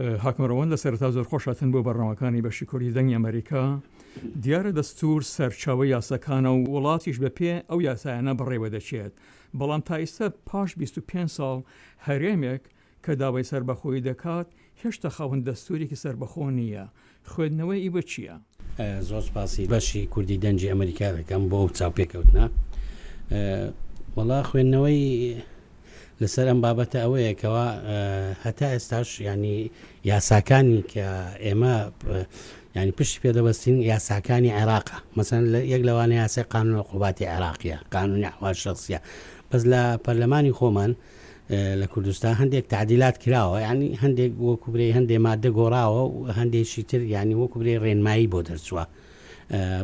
حاکم ڕەوەند لە سەرەتا زۆر خۆش هاتن بۆ بەرنامەکانی بەشی کوردی دەنگی ئەمەریکا. دیارە دەستوور سەرچاوەی یاساکانە و وڵاتیش بە پێ ئەو یاسایانە بەڕێوە دەچێت، بەڵام تا ئیستا پاش 25 ساڵ هەرێمێک کە داوای سەربەخۆیی دەکات هێشتا خاوەن دەستوورێکی سەربەخۆ نییە، خوێندنەوەی ئیوە چییە؟ زۆر سپاسی بەشی کوردی دەنگی ئەمەریکا دەکەم بۆ ئەو چاوپێکەوتنە. وەڵا خوێندنەوەی لەسەر ئەم بابەتە ئەوەیە کەوا هەتا ئێستاش ینی یاساکانی کە ئێمە ینی پشتی پێدەبەستین یاساکانی عێراقە مەسەن لە یەک لەوانە یاسای قانون عقوباتی عێراقیە قانونی ئەحوال شخصیە بەس لە پەرلەمانی خۆمان لە کوردستان هەندێک تعدیلات کراوە ینی هەندێک وەکو برێ هەندێک مادە گۆڕاوە و هەندێکی تر ینی وەکو برێ ڕێنمایی بۆ دەرچووە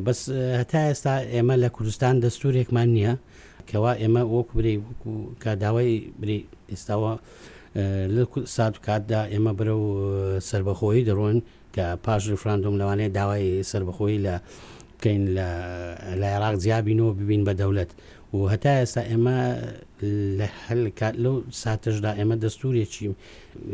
بەس هەتا ئێستا ئێمە لە کوردستان دەستورێکمان نییە کەوا ئێمە وەکو برێ وەکو کە داوای برێ ئێستاوە لە سات و کاتدا ئێمە بەرە و سربەخۆیی دەڕۆن کە پاش ریفراندۆم لەوانەیە داوای سربەخۆیی لە بکەین لە لە عێراق جیابینەوە ببین بە دەولەت و هەتا ئێستا ئێمە لە هەل کات لەو ساتەشدا ئێمە دەستورێکی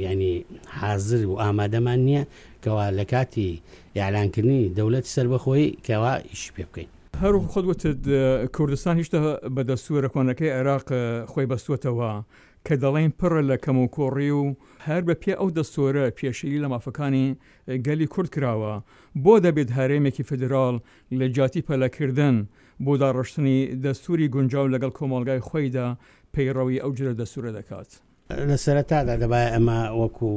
ینی حاضر و ئامادەمان نییە کەوا لە کاتی ئیعلانکردنی دەولەتی سربەخۆیی کەوا ئیشی پێ بکەین. هەر وەکو خۆت وتت کوردستان هیشتا بە دەستوورە کۆنەکەی عێراق خۆی بەستووەتەوە کە دەڵێین پڕە لە کەموکوڕی و هەر بە پێ ئەو دەستوورە پێشێلی لە مافەکانی گەلی کورد کراوە، بۆ دەبێت هەرێمێکی فیدراڵ لە جیاتی پەلەکردن بۆ داڕشتنی دەستووری گونجاو لەگەڵ کۆمەڵگای خۆیدا پەیڕەوی ئەو جۆرە دەستوورە دەکات؟ لە سەرەتادا دەبایە ئەمە وەکو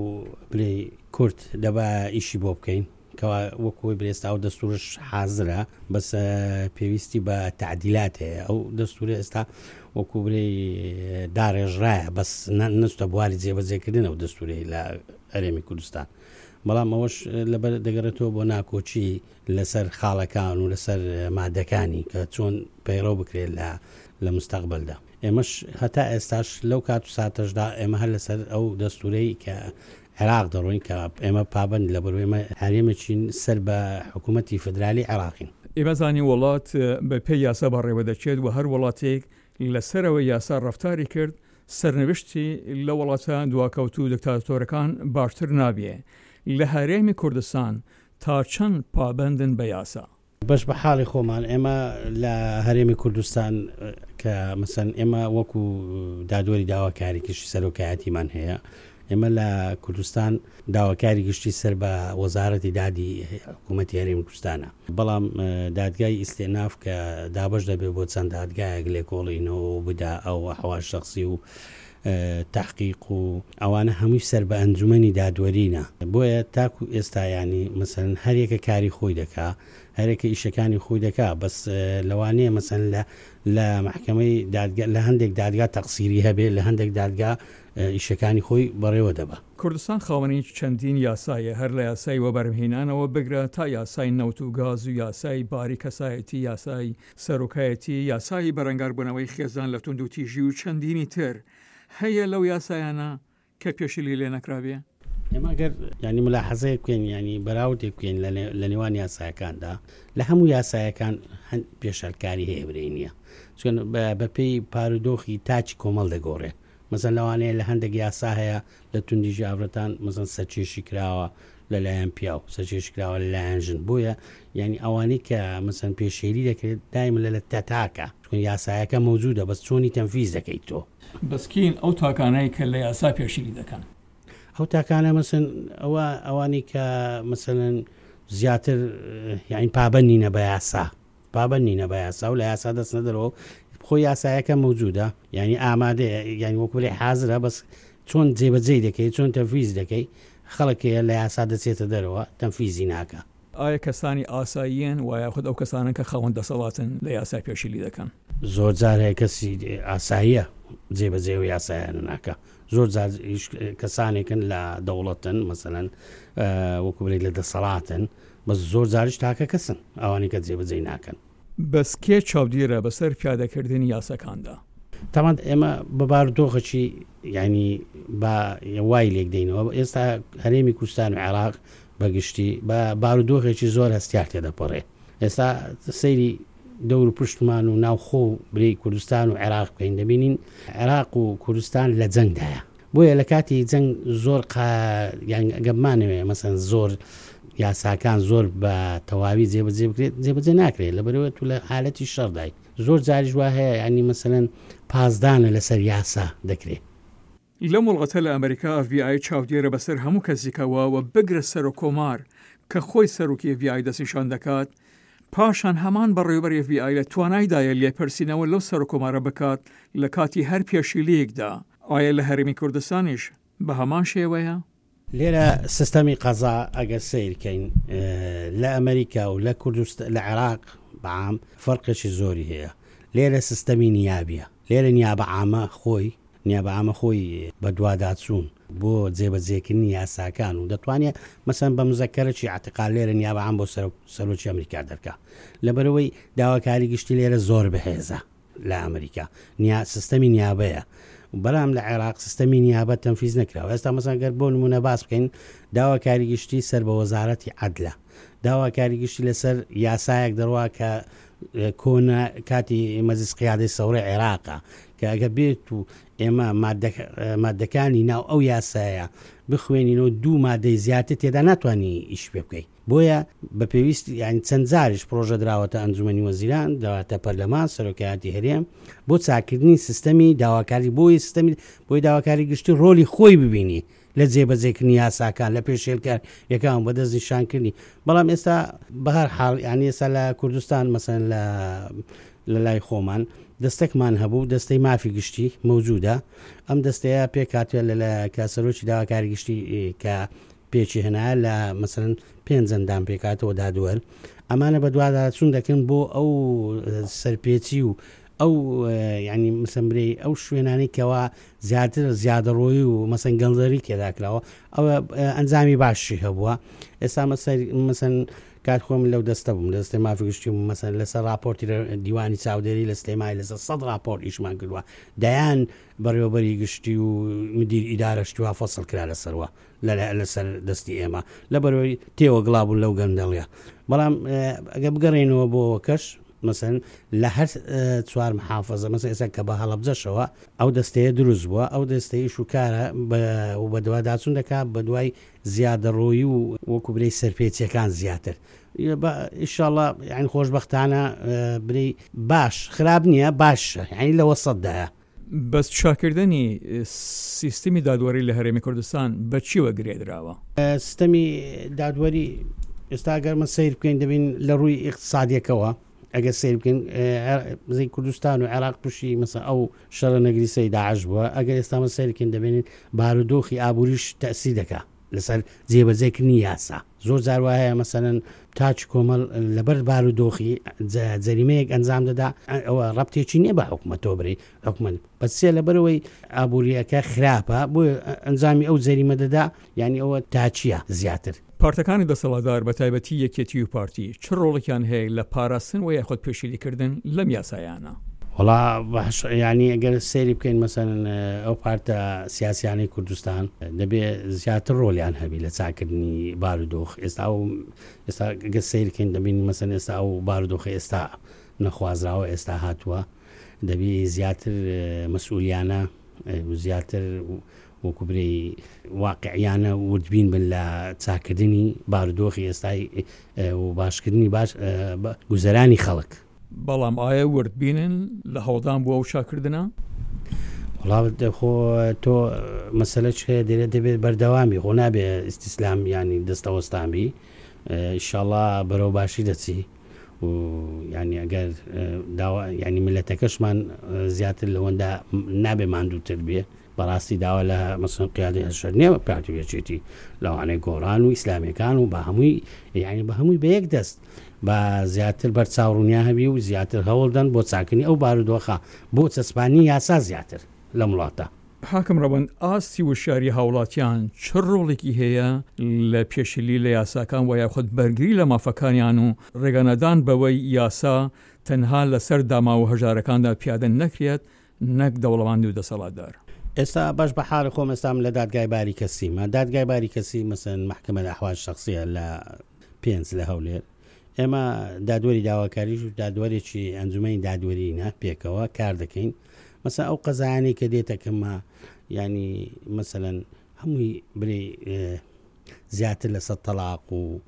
برێی کورد دەبایە ئیشی بۆ بکەین کەوا وەکو ئەوەی برێ ئێستا ئەو دەستورش حازرە بەس پێویستی بە تعدیلات هەیە ئەو دەستورە ئێستا وەکو برێی داڕێژرایە بەس نەچتە بواری جێبەجێکردن ئەو دەستورەی لە هەرێمی کوردستان بەڵام ئەوەش لەبەر دەگەڕێتەوە بۆ ناکۆکی لەسەر خاڵەکان و لەسەر مادەکانی کە چۆن پەیڕەو بکرێت لە لە مستەقبلدا. ئێمەش هەتا ئێستاش لەو کات و ساتەشدا ئێمە هەر لەسەر ئەو دەستورەی کە عێراق دەڕۆین کە ئێمە پابەند لەبەر ئێمە هەرێمێکین سەر بە حکوومەتی فدرالی عێراقین. ئێمە زانین وڵات بە پێی یاسا بەڕێوە دەچێت و هەر وڵاتێک لە سەرەوەی یاسا ڕەفتاری کرد سەرنوشتی لە وڵاتە دواکەوتوو و دکتاتۆرەکان باشتر نابێ. لە هەرێمی کوردستان تا چەند پابەندن بە یاسا؟ بەش بە حاڵی خۆمان ئێمە لە هەرێمی کوردستان کە مەسەن ئێمە وەکو دادوەری داواکاری گشتی سەرۆکایەتیمان هەیە ئێمە لە کوردستان داواکاری گشتی سەر بە وەزارەتی دادی حکوومەتی هەرێمی کوردستانە بەڵام دادگای ئیستێناف کە دابەش دەبێت بۆ چەند دادگایەک لێکۆڵینەوە و بدا ئەو ئەحوال شخصی و تحقیق و ئەوانە هەمووی سەر بە ئەنجومەنی دادوەرینە بۆیە تاکو ئێستا یانی مەسەلەن هەریەکە کاری خۆی دەکا هەرێکە ئیشەکانی خۆی دەکا بەس لەوانەیە مەسەن لە لە محکمەی دادگا لە هەندێک دادگا تەقسیری هەبێ لە هەندێک دادگا ئیشەکانی خۆی بەڕێوە دەبا. کوردستان خاوەنی چەندین یاسایە هەر لە یاسای وەبەرهێنانەوە بگرە تا یاسای نەوت و گاز و یاسای باری کەسایەتی یاسای سەرۆکایەتی، یاسای بەرەنگاربوونەوەی خێزان لە توندوتیژی و چەندینی تر هەیە لەو یاسایانە کە پێشیلی لێ نەکرابێ؟ ئێمە گەر یانی ملاحەزەیەک بکەین یانی بەراوردێک بکەین لە نێوان یاسایەکاندا لە هەموو یاسایەکان پێشەلکاری هەیە برێ نییە چون بەپێی پارودۆخی تاکی کۆمەڵ دەگۆڕێ مەسەن لەوانەیە لە هەندێک یاسا هەیە لە توندیژی ئافرەتان مەسەن سەرکێشی کراوە لەلایەن پیاو سەرکێشی کراوە لەلایەن ژن بۆیە یعنی ئەوانەی کە مەسەن پێشێلی دەکرێت دایم لە لە تاکە چون یاسایەکە مەوجودە بەس چۆنی تەنفیز دەکەیت تۆ. بەس کین ئەو تاکانەی کە لە یاسا پێشیلی دەکەن؟ ئەو تاکانە مەسەن ئەوە ئەوانەی کە مەسەلەن زیاتر یعنی پابەند نینە بە یاسا پابەند نینە بە یاسا و لە یاسا دەچنە دەرەوە خۆی یاسایەکە مەوجودە یعنی ئامادەیە یعنی وەکو بڵێ حازرە بەس چۆن جێبەجێی دەکەی چۆن تەنفیز دەکەی خەڵک هەیە لە یاسا دەچێتە دەرەوە تەنفیزی ناکا. ئایا کەسانی ئاساییەن و یاخود ئەو کەسانەن کە خاوەن دەسەڵاتن لە یاسا پێشیلی دەکەن؟ زۆر جار هەیە کەسی ئاساییە جێبەجێ ئەو یاسایانە ناکا زۆر جار کەسانێکن لە دەوڵەتن مەسەلەن وەکو بڵێی لە دەسەڵاتن بەس زۆر جاریش تاکە کەسن ئەوانەی کە جێبەجێی ناکەن. بەس کێ چاودێرە بەسەر پیادەکردنی یاساکاندا؟ تەبعەن ئێمە بە بارودۆخێکی یانی با وای لێک دەینەوە ئێستا هەرێمی کوردستان و عێراق بە گشتی بە بارودۆخێکی زۆر هەستیار تێدەپەڕێ ئێستا سەیری دەور و پشتمان و ناوخۆ و برێی کوردستان و عێراق بکەین دەبینین عێراق و کوردستان لە جەنگدایە. بۆیە لە کاتی جەنگ زۆر قا یان ئەگەر بمانەوێ مەسەن زۆر یاساکان زۆر بە تەواوی جێبەجێ بکرێت جێبەجێ ناکرێت لەبەرەوە تو لە حالەتی شەڕدای زۆر جاریش وا هەیە ینی مەسەلەن پاسدانە لەسەر یاسا دەکرێت. لەم وڵاتە لە ئەمریکا ئێف بی ئای چاودێرە بەسەر هەموو کەسیکەوە و بگرە سەرۆک کۆمار کە خۆی سەرۆکی ئێف بی ئای دەستنیشان دەکات، پاشان هەمان بەڕێوەبەری ئێف بی ئای لە توانایدایە لێپرسینەوە لەو سەرۆک کۆمارە بکات لە کاتی هەر پێشیلییەکدا، ئایا لە هەرێمی کوردستانیش بە هەمان شێوەیە؟ لێرە سیستەمی قەزا ئەگەر سەیر کەین لە ئەمریکا و لە کوردست لە عێراق بەعام فەرقێکی زۆری هەیە لێرە سیستەمی نیابیە لێرە نیابە عامە خۆی نیابە عامە خۆی بەدواداچوون بۆ جێبەجێکردنی یاساکان و دەتوانێت مەسەن بە مزەکەرەکی اعتقال لێرە نیابە عام بۆ سەرۆکی ئەمریکا دەرکا لەبەرەوەی داواکاری گشتی لێرە زۆر بەهێزە لە ئەمریکا نیا سیستەمی نیابەیە بەڵام لە عێراق سیستەمی نیابە تەنفیز نەکراوە ئێستا مەسەن گەر بۆ نمونە باس بکەین داواکاری گشتی سەر بە وەزارەتی عەدلە داواکاری گشتی لەسەر یاسایەک دەڕوا کە کۆنە کاتی مەجلس قیادەی سەوڕی عێراقە کە ئەگە بێت و ئێمە مادەکانی ناو ئەو یاسایە بخوێنینەوە دوو مادەی زیاتر تێدا ناتوانانی ئیش پێ بکەیت بۆیە بە پێویست یانی چەند جاریش پڕۆژە دراوەتە ئەنجومەنی وەزیران، دراوەتە پەرلەمان، سەرۆکایەتی هەرێم بۆ چاککردنی سیستەمی داواکاری بۆی سیستەمی بۆی داواکاری گشتی ڕۆلی خۆی ببینی لە جێبەجێکردنی یاساکان لە پێشێلکاریەکان بە دەست نیشانکردنی بەڵام ئێستا بە هەر حاڵ یانی ئێستا لە کوردستان مەسەن لە لە لای خۆمان دەستەکمان هەبوو دەستەی مافی گشتی مەوجودە ئەم دەستەیە پێکهاتووە لە کە سەرۆکی داواکاری گشتی کە پێکی هێنایە لە مەسەلەن پێنج ئەندام پێکهاتەوە دادوەر ئەمانە بەدواداچوون دەکەن بۆ ئەو سەرپێچی و ئەو ینی مسەمبرەی ئەو شوێنانەی کەوا زیاتر زیادەڕۆیی و مەسەن گەندەری تێدا کراوە ئەوە ئەنجامی باشی هەبووە ئێستا مەسەر مەسەن کات خۆم لەو دەستە بووم دەستێ مافی گشتی و مەسەن لەسەر راپۆرتی دیوانی چاودێری لە سلێمانی لەسەر سەد راپۆرت ئیشمان کردووە دەیان بەڕێوەبەری گشتی و مدیر ئیدارە شتوا فەسڵ کرا لەسەروە لەسەر دەستی ئێمە لەبەرەوەی تێوە گڵابوون لەو گەندەڵیە بەڵام ئەگە بگەڕێنەوە بۆ کەش مەسەن لە هەر چوار محافظە مەسە ئێستا کە بە هەڵەبجەشەوە ئەو دەستەیە دروست بووە ئەو دەستەیش و کارە و بەدواداچون دەکات بە دوای زیادەڕۆیی و وەکو برەی سەرپێچیەکان زیاتر ئیشاڵە یعنی خۆشببختانە بری باش خراپ نییە باشە یعنی لە وەسەتدایە بەس چاککردنی سیستمی دادوەری لە هەرێمی کوردستان بە چیوە گرێدراوە؟ سیستەمی دادوەری ئێستا گەر من سەیر بکەین دەبین لە ڕووی ئیقتسادیەکەوە ئەگەر سەیر بکەین زی کوردستان و عێراق تووشی مەسە ئەو شەڕە نەگریسەی داعش بووە ئەگەر ئێستا من سەیرکەین دەبینین بارودۆخی ئابووریش تەسی دەکا لەسەر جێبەجێکردنی یاسا زۆر جار وا هەیە مەسەلەن تاکی کۆمەڵ لەبەر بارودۆخی جەریمەیەک ئەنجام دەدا ئەوە ڕەبتێکی نییە بە حکومەتەوە بری حکومەت بەسێ لەبەرەوەی ئابووریەکە خراپە بۆ ئەنجامی ئەو جەریمە دەدا یعنی ئەوە تاچیە زیاتر. پارتەکانی دەسەڵاتدار بە تایبەتی یەکێتی و پارتی چ ڕۆڵێکیان هەیە لە پاراستن و یاخود پێشیلیکردن لەم یاسایانە؟ وەڵا باش یانی ئەگەر سەیری بکەین مەسەلەن ئەو پارتە سیاسیانەی کوردستان دەبێ زیاتر ڕۆلیان هەبی لە چاکردنی بارودۆخ ئێستا ئەو ئێستا گەر سەیر بکەین دەبین مەسەن ئێستا ئەو بارودۆخە ئێستا نەخوازراوە ئێستا هاتووە دەبی زیاتر مەسئولیانە زیاتر وەکو برێی واقعیانە وردبین بن لە چاکردنی بارودۆخی ئێستای و باشکردنی باش گوزەرانی خەڵک. بەڵام ئایا وردبینن لە هەوڵدان بۆ ئەو چاککردنە؟ وەڵا خۆ تۆ مەسەلە چ هەیە دێرە دەبێت بەردەوامی خۆ نابێ ئیستیسلام ینی دەستەوەستان بی ئیشاڵا بەرەو باشی دەچی و ینی ئەگەر داوا ینی ملەتەکەشمان زیاتر لەوەندا نابێ ماندووتر بێ بەڕاستی داوا لە مەسەن قیادەی هەشەر نیە پارتی و یەکێتی لەوانەیە گۆڕان و ئیسلامیەکان و بە هەمووی یعنی بە هەمووی بە یەک دەست بە زیاتر بەر چاوڕونیا هەبی و زیاتر هەوڵدەن بۆ چاکنی ئەو بارودۆخە بۆ چەسپانی یاسا زیاتر لەم وڵاتە. حاکم ڕەوەند، ئاستی وشیاری هاوڵاتیان چ ڕۆڵێکی هەیە لە پێشیلی لە یاساکان وە یاخود بەرگری لە مافەکانیان و ڕێگانەدان بەوەی یاسا تەنها لەسەر داماو و هەژارەکاندا پیادە نەکرێت نەک دەوڵەمەند و دەسەڵاتدار. ئێستا باش بە حاڵی خۆم ئێستا من لە دادگای باری کەسیمە دادگای باری کەسی مەسەن مەحکەمە الاحوال شخصیە لە پێنج لە هەولێر ئێمە دادوەری داواکاریش و دادوەرێکی ئەنجومەنی دادوەرینە پێکەوە کار دەکەین مەسە ئەو قەزایانی کە دێتەکەمە ینی مەسەەن هەمووی برێ زیاتر لەسەر تەلاق و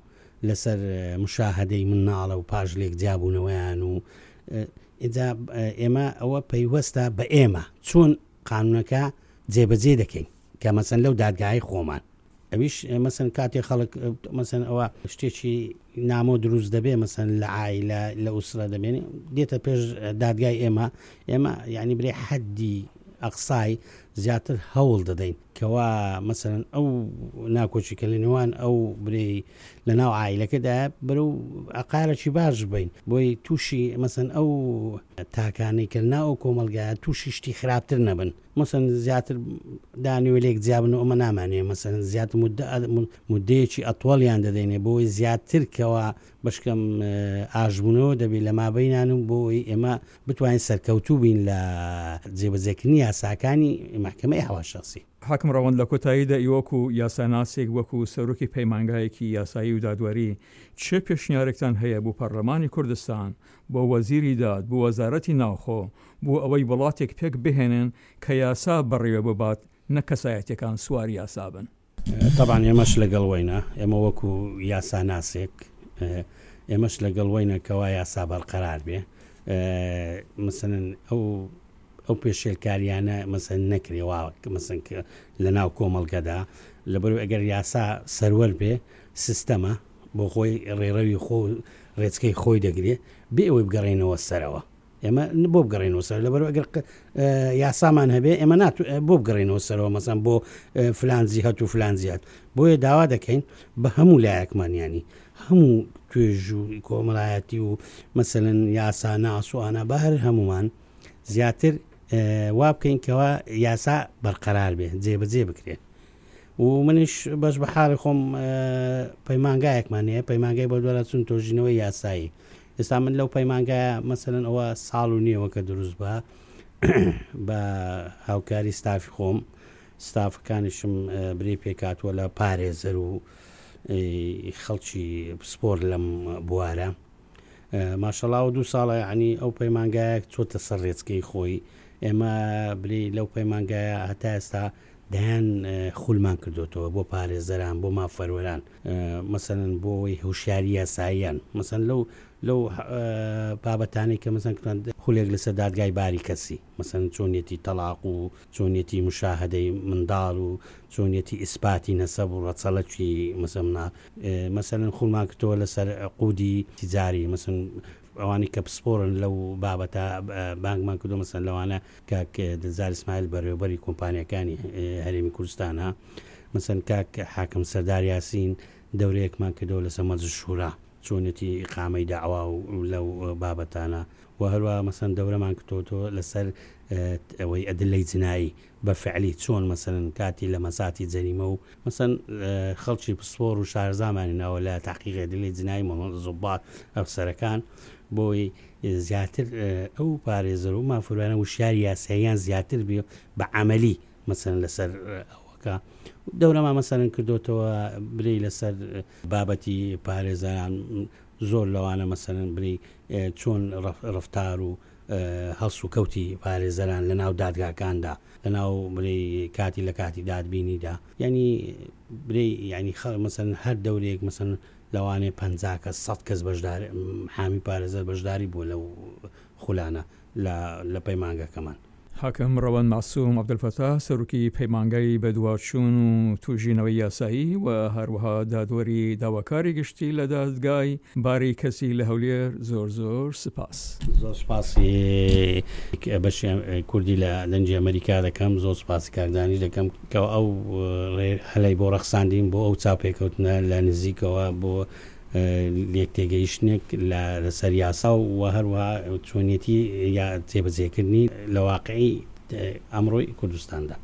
لەسەر مشاهدەی مناڵە و پاش لێک جیابوونەوەیان و ئینجا ئێمە ئەوە پەیوەستە بە ئێمە چۆن قانونەکە جێبەجێ دەکەین کە مەسەن لەو دادگای خۆمان ئەویش مەسەن کاتێ خەڵک مەسەن ئەوە شتێکی نامۆ دروست دەبێ مەسەن لە عیلە لە ئوسرە دەبێنێ دێتە پێش دادگای ئێمە ئێمە یعنی برێ حەدی ئەقسای زیاتر هەوڵ دەدەین کەوا مەسەن ئەو ناکۆکی کە لە نێوان ئەو برێی لە ناو عیلەکەدا بەرەو ئەقارێکی باش بین بۆی تووشی مەسەن ئەو تاکانەی کە ناو کۆمەلگایە تووشی شتی خراپتر نەبن مەسەن زیاتر دانیوە لێک جیابن و ئەمە نامانێ مەسەن زیاتر مدەیەکی ئەتۆڵیان دەدەینێ بۆی زیاتر کەوا بەشکەم ئاشبوونەوە دەبێت لە مابینان و بۆی ئێمە بتوانین سەرکەوتوو بین لە جێبەجێکردنی یاساکانی مەحکەمەی ئەحوال شەخسی. حاکم ڕەوەند لە کۆتاییدا ئی وەکو یاساناسێک وەکو سەرۆکی پەیمانگایەکی یاسایی و دادوەری چ پێشنیارێکتان هەیە بۆ پەرلەمانی کوردستان بۆ وەزیری داد بۆ وەزارەتی ناوخۆ بۆ ئەوەی وڵاتێک پێک بهێنن کە یاسا بەڕێوە ببات نەک کەسایەتیەکان سواری یاسا بن؟ تەبعەن ئێمەش لەگەڵ وەینە، ئێمە وەکو یاساناسێک ئێمەش لەگەڵ وەینە کەوا یاسا بەرقەرار بێ، مەسەلەن ئەو ئەو پێشێلکاریانە مەسەن نەکرێ وا مەسەن لە ناو کۆمەڵگەدا لەبەر ئەگەر یاسا سەروەر بێ سیستەمە بۆ خۆی ڕێڕەوی خۆ ڕێچکەی خۆی دەگرێ بێ ئەوەی بگەڕێنەوە سەرەوە. ئێمە بۆ بگەڕێنەوە سەر لەبەر ئەگەر یاسامان هەبێ ئێمە نات بۆ بگەڕێنەوە سەرەوە مەسان بۆ فلان جیهت و فلان جیهت بۆیە داوا دەکەین بە هەموو لایەکمان ینی هەموو توێژ و کۆمەڵایەتی و مەسەن یاسا ناسوانە بە هەر هەمومان زیاتر وا بکەین کەوا یاسا بەرقەرار بێ جێبەجێ بکرێت و منیش بەش بە حاڵی خۆم پەیمانگایەکمان هەیە پەیمانگای بۆ دووارچون تۆژینەوەی یاسایی ئێستا من لەو پەیمانگایە مەسەلەن ئەوە ساڵ و نیەوە کە دروست بە بە هاوکاری ستافی خۆم ستافەکانیشم بری پێکاتوە لە پارێزەر و خەڵکی پسپۆر لەم بوارە ماشەڵاوە دوو ساڵە ینی ئەو پەیمانگایەک چۆتە سەر ڕێچکەی خۆی ئێمە بری لەو پەیمانگایە هەتا ئێستا دەیان خولمان کردوتەوە بۆ پارێزەران بۆ مافەروەران مەسەلەن بۆ ئەوەی هۆشیاری یاساییان مەسەن لەو لەو بابەتانەی کە مەسەن خولێک لەسەر دادگای باری کەسی مەسەن چۆنیەتی تەلاق و چۆنیەتی مشاهدەی منداڵ و چۆنیەتی ئیسپاتی نەسەب و ڕەچەڵەکی مەسەمنا مەسەلەن خولمان کردەوە لەسەر عقودی تجاری مەسەن ئەوانەی کە پسپۆرن لەو بابەتە بانگمان کردو مەسەن لەوانە کاک دلزار ئیسماعیل بەڕێوەبەری کۆمپانیاکانی هەرێمی کوردستانە مەسەن کاک حاکم سەردار یاسین دەورەیەکمان کردەوە لەسەر مەجلس شورا چۆنێتی ئیقامەی دەعوا و لەو بابەتانە و هەروە مەسەن دەورەمان کردەوە لەسەر ئەوەی ئەدلەی جنایی بە فعلی چۆن مەسەن کاتی لە مەساتی جەریمە و مەسەن خەڵکی پسپۆر و شارەزامانی ناوە لە تحقیق ئەدلەی جنایی زوبات ئەفسەرەکان بۆی زیاتر ئەو پارێزەر و مافوروانە وشیاری یاساییان زیاتر بێ بە عملی مەسەن لەسەر ئەوەکە دەورەما مەسەرن کردوتەوە بری لەسەر بابەتی پارێزەران زۆر لەوانە مەسەرن بری چۆن ڕفتار و هەڵس و کەوتی پارێزەران لە ناو دادگاکاندا لە ناو بری کاتی لە کاتی دادبینیدا ینی بری ینی خەڵ مەسەن هەر دەورێک مەسەن لەوانەیە 50 کەس 100 کەس بەشدار حامی پارێزەر بەشداری بووە لەو خولانە لە لە پەیمانگەکەمان. حاکم ڕەوەند مەعسوم عەبدولفەتاح سەرۆکی پەیمانگای بەدواچوون و توژینەوەی یاسایی و هەروەها دادوەری داواکاری گشتی لە دادگای باری کەسی لە هەولێر زۆر زۆر سپاس. زۆر سپاسی بەشی کوردی لە دەنگی ئەمەریکا دەکەم، زۆر سپاسی کاک دانیش دەکەم کە ئەو هەلەی بۆ ڕەخساندین بۆ ئەو چاوپێکەوتنە لە نزیکەوە بۆ لێکتێگەیشتنێک لە لەسەر یاسا و هەروەها چۆنیەتی یا جێبەجێکردنی لە واقعی ئەمڕۆی کوردستاندا.